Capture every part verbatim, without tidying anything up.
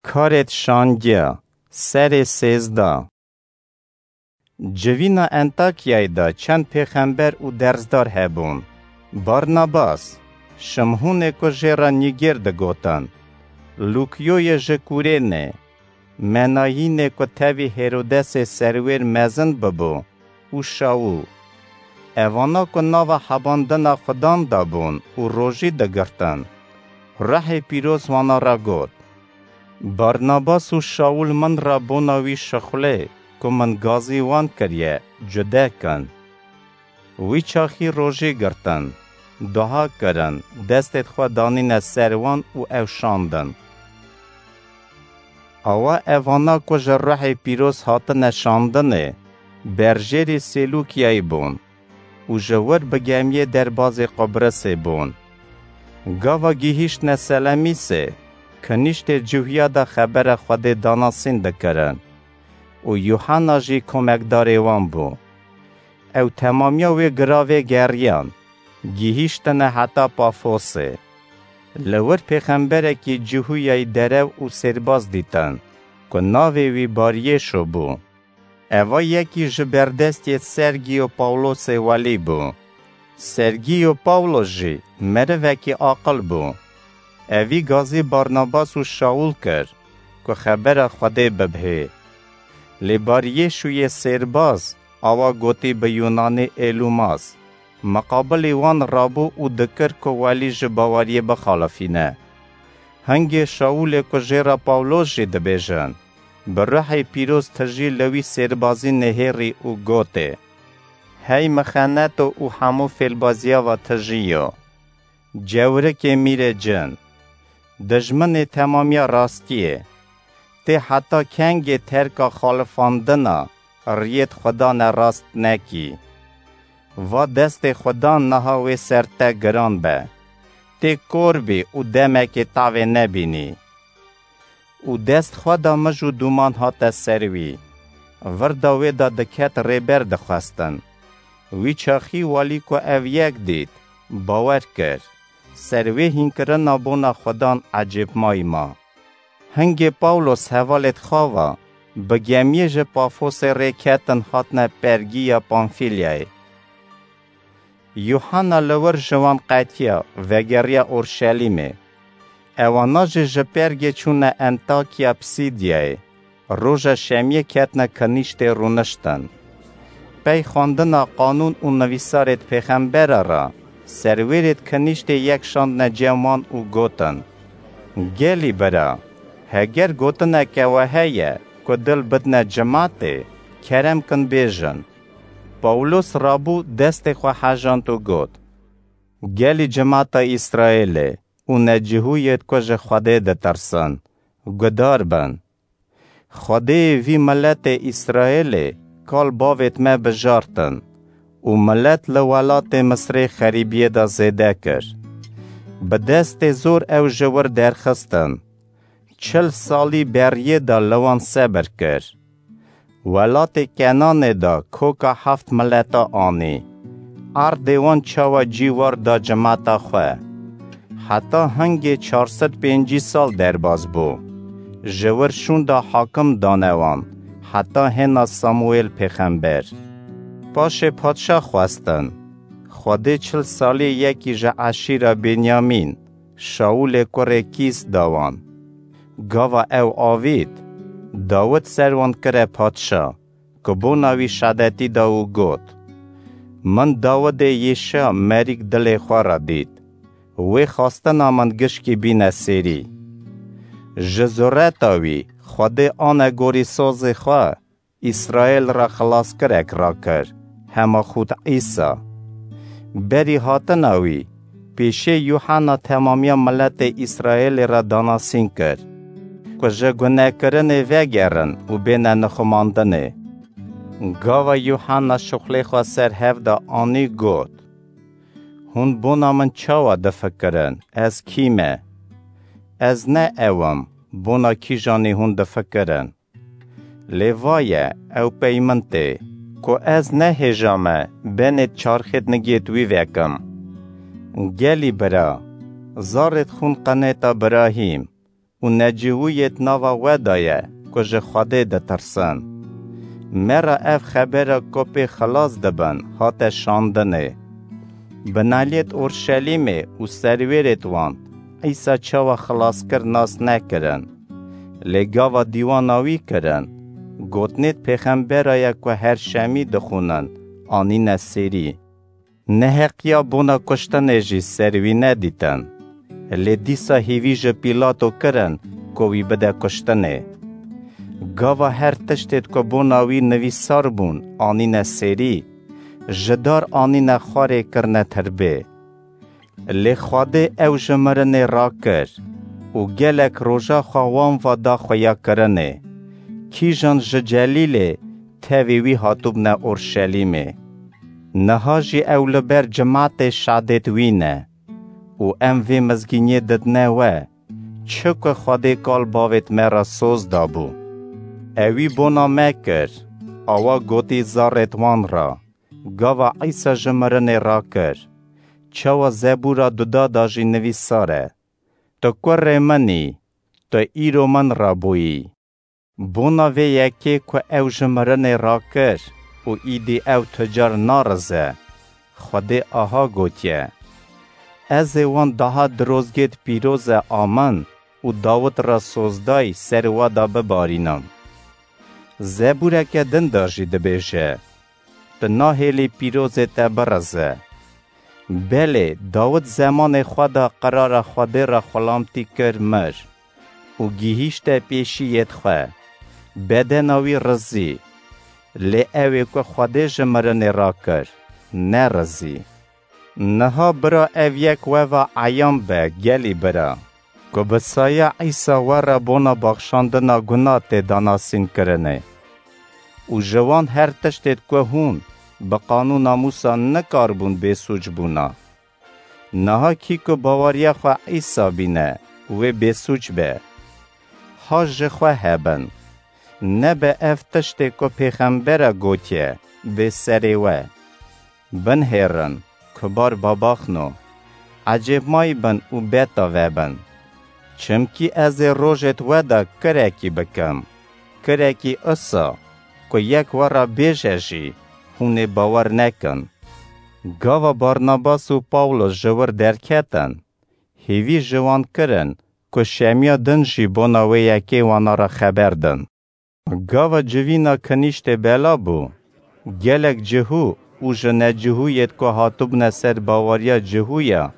Karêt şangiya, serê sêzda. Civîna Entakyayê de çend pêxember û derzdar hebûn. Barnabas, Şimhûnê ku jê re Nîgêr digotin, Lûkyoyê ji Kûrênê, Menayînê ku tevî Hêrodesê serwêr mezin bibû, û Şawûl. Evana ku nava hebandina Xudan de bûn û rojî digirtin, Ruhê Pîroz wana re got, Barnabas û Şawûl min re bona wî şixulê ku min gazî wan kiriye, cude kin. Wî çaxî rojî girtin, dua kirin, destêd xwe danîne ser wan û ew şandin. Awa evana ku ji Ruhê Pîroz hatine şandinê, berjêrî Sêlûkyayê bûn û ji wir bi gemiyê derbazê Qubrisê bûn. Gava gihîştine Selemîsê, kinîştê Cihûya de xebera Xwedê danasîn dikirin û Yuhanna jî komekdarê wan bû. Ew temamiya wê giravê geriyan, gihîştine heta Pafosê. Li wir pêxemberekî Cihûyayî derew û sêrbaz dîtin, ku navê wî Baryêşo bû. Eva yekî ji berdestiyê Sergîyo Pawlosê welî bû. Sergîyo Pawlos jî merivekî aqil bû. Evî gazî Barnabas û Şawûl kir, ku xebera Xwedê bibhê. Lê Baryêşûyê sêrbaz, awa gotî bi Yûnanî Êlûmas, miqabilî wan rabû û dikir ku welî ji baweriyê bixalifîne. Hingê Şawûlê ku jê re Pawlos jî dibêjin, bi Ruhê Pîroz tijî li wî sêrbazî nihêrî û gotê, Hey mixeneto û hemû fêlbaziya va tijî yo! Cewrikê mîrê cin, dijminê temamiya rastiyê, tê heta kengê terka xalifandina riyêd Xudan e rast nekî? Va destê Xudan niha wê ser te giran be. Tê kor bî û demekê tavê nebînî. Û dest xwe da mij û dûman hate ser wî. Virda wê de diket rêber dixwestin. Wî çaxî welî ku ev yek dît, bawer kir. Ser wê hînkirina bona Xudan ecêbmayî ma. Hingê Pawlos hevalêd xwe va, bi gemiyê ji Pafosê rê ketin hatine Pergîya Pamfîlyayê. Yuhanna li wir ji wan qetiya, vegeriya Orşelîmê. Ewana jî ji Pergê çûne Entakya Pisîdyayê. Roja şemiyê ketine kinîştê rûniştin. Pey xwendina qanûn û nivîsarêd pêxembera re, serwêrêd kinîştê yek şandine cem wan û gotin, Gelî bira, heger gotineke we heye ku dil bidine cimatê, kerem kin bêjin. Pawlos rabû destê xwe hejand û got, Gelî cimata Îsraêlê û necihûyêd ku ji Xwedê ditirsin, guhdar bin. Xwedêyê vî miletê Îsraêlê kal bavêd me bijartin û milet li welatê Misrê xerîbiyê de zêde kir. Bi destê zor ew ji wir derxistin. Çil salî beriyê de li wan sebir kir. Welatê Kenanê de koka heft mileta anî. Erdê wan çawa cîwar da cimata xwe. Heta hingê çar sed pêncî sal derbas bû. Ji wir şûnda hakim dane wan, heta hêna Samuêl pêxember. Paşê padşah xwestin. Xwedê çil salî yekî ji eşîra Benyamîn, Şawûlê kurê Kîs da wan. Gava ew avît, Dawid ser wan kire padşa, ku bona wî şedetî da û got, Min Dawidê Yêşa merîk dilê xwe re dît. Wê xastina min gişkî bîne sêrî. Ji zureta wî Xwedê ane gorî sozê xwe, Îsraêl re xilaskirek rakir, hema xût Îsa. Berî hatina wî, pêşê Yuhanna temamiya miletê Îsraêlê re danasîn kir, ku ji gunekirinê vegerin û bêne nixumandinê. Gava Yuhanna şuxlê xwe ser hev de anî got, Hûn bona min çawa difikirin, ez kî me? Ez ne ew im, bona kîjanî hûn difikirin. Lê va ye, ew pey min tê, ku ez nehêja me benêt çarxêt nigêt wî vekim. Gelî bira, zarêt xûn qenêta Birahîm, û necihûyêd nava we de ye ku ji Xwedê ditirsin. Me re ev xebera ku pê xilas dibin hate şandinê. Binaliyêd Orşelîmê û serwêrêd wan Îsa çawa xilas kir nas nekirin. Lê gava dîwana wî kirin, gotinêd pêxembera ye ku her şemî dixwînin, anîne sêrî. Neheqiya bona kuştinê jî ser wî nedîtin. Lê dîsa hîvî ji Pîlato kirin ku wî bide kuştinê. Gava her tiştêd ku bona wî nivîsar bûn anîne sêrî, ji dar anîne xwarê kirine tirbê. Lê Xwedê ew ji mirinê rakir û gelek roja xwe wan va da xuyakirinê. Kîjan ji Celîlê tevî wî hatibûne Orşelîmê. Niha jî ew li ber cimatê şadêd wî ne û em vê mizgîniyê didine we, çi ku Xwedê kal bavêd me re soz dabû. Ewî bona me kir, awa gotî zarêd wan re, gava Îsa ji mirinê rakir, çawa Zebûra duda de jî nivîsar e: Tu kurê min î, tu îro min re bûyî. Bona vê yekê ku ew ji mirinê rakir û îdî ew tu car narize, Xwedê aha gotiye: Ez ê wan daha dirozgêd pîroze a min û Dawid re sozdayî ser we de bibarînim. Zebûreke din de jî dibêje: Tu nahêlî pîrozê te birize. Belê, Dawid zemanê xwe de qirara Xwedê re xulamtî kir, mir û gihîşte pêşiyêd xwe. Bedena wî rizî. Lê ew ê ku Xwedê ji mirinê rakir, nerizî. Niha bira ev yek we ve eyan be, gelî bira, ku bi saya Îsa we re bona baxşandina guna tê danasînkirinê. Û ji wan her tiştêd ku hûn bi qanûna Mûsa nikaribûn bêsûc bûna. Niha kî ku baweriya xwe Îsa bîne, wê bêsûc be. Ha ji xwe hebin. Nebe ev tiştê ku pêxembere gotiye, bê serê we. Binhêrin, kubar babaxno, ecêbmayî bin û beta vebin. Çimkî ez ê rojêd we de kirekî bikim, kirekî isa, ku yek we re bêje jî, hûn ê bawer nekin. Gava Barnabas û Pawlos ji wir derketin, hêvî ji wan kirin, ku şemiya din jî bona wê yekê wana re xeber din. Gava civîna kinîştê bela bû, gelek cihû û ji necihûyêd ku hatibûne ser baweriya cihûya,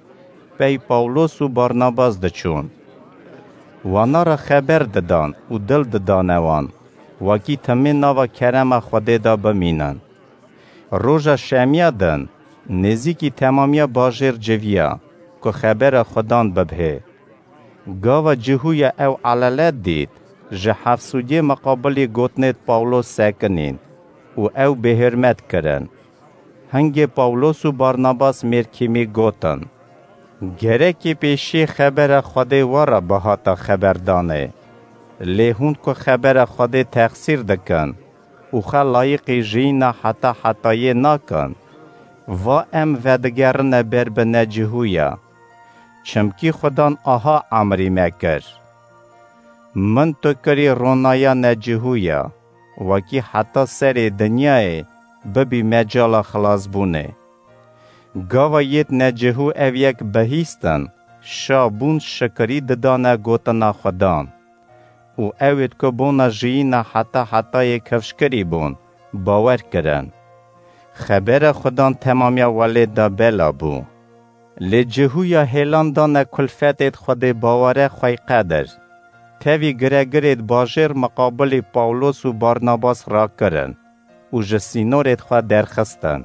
pey Pawlos û Barnabas diçûn. Wana re xeber didan û dil didane wan, wekî timê nava kerema Xwedê de bimînin. Roja şemiya din, nêzîkî temamiya bajêr civiya, ku xebera Xudan bibhê. Gava cihûya ew elele dît, ji hefsûdiyê miqabilî gotinêd Pawlos sekinîn û ew bêhurmet kirin. Hingê Pawlos û Barnabas mêrkîmî gotin: Gerekî pêşî xebera Xwedê we re bihata xeberdanê. Lê hûn ku xebera Xwedê texsîr dikin û xwe layiqî jiyîna heta hetayê nakin, va em vedigerine ber bi necihûya. Çimkî Xudan aha emrî me kir: Min tu kirî ronaya necihûya, wekî heta serê dinyayê bibî mecala xilasbûnê. Gava yêd necihû ev yek bihîstin, şa bûn, şikirî didane gotina Xudan. Û ewêd ku bona jiyîna heta hetayê kifşkirî bûn, bawer kirin. Xebera Xudan temamiya welêt de bela bû. Lê cihûya hêlan dane kulfetêd Xwedê bawere xweyqedir. Tevî giregirêd bajêr miqabilî Pawlos û Barnabas rakirin û ji sînorêd xwe derxistin.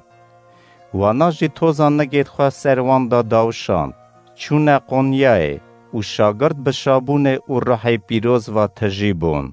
Wana jî toza nigêd xwe ser wan de dawşand, çûne Qonyayê û şagirt bi şabûnê û ruhê pîroz ve tijî bûn.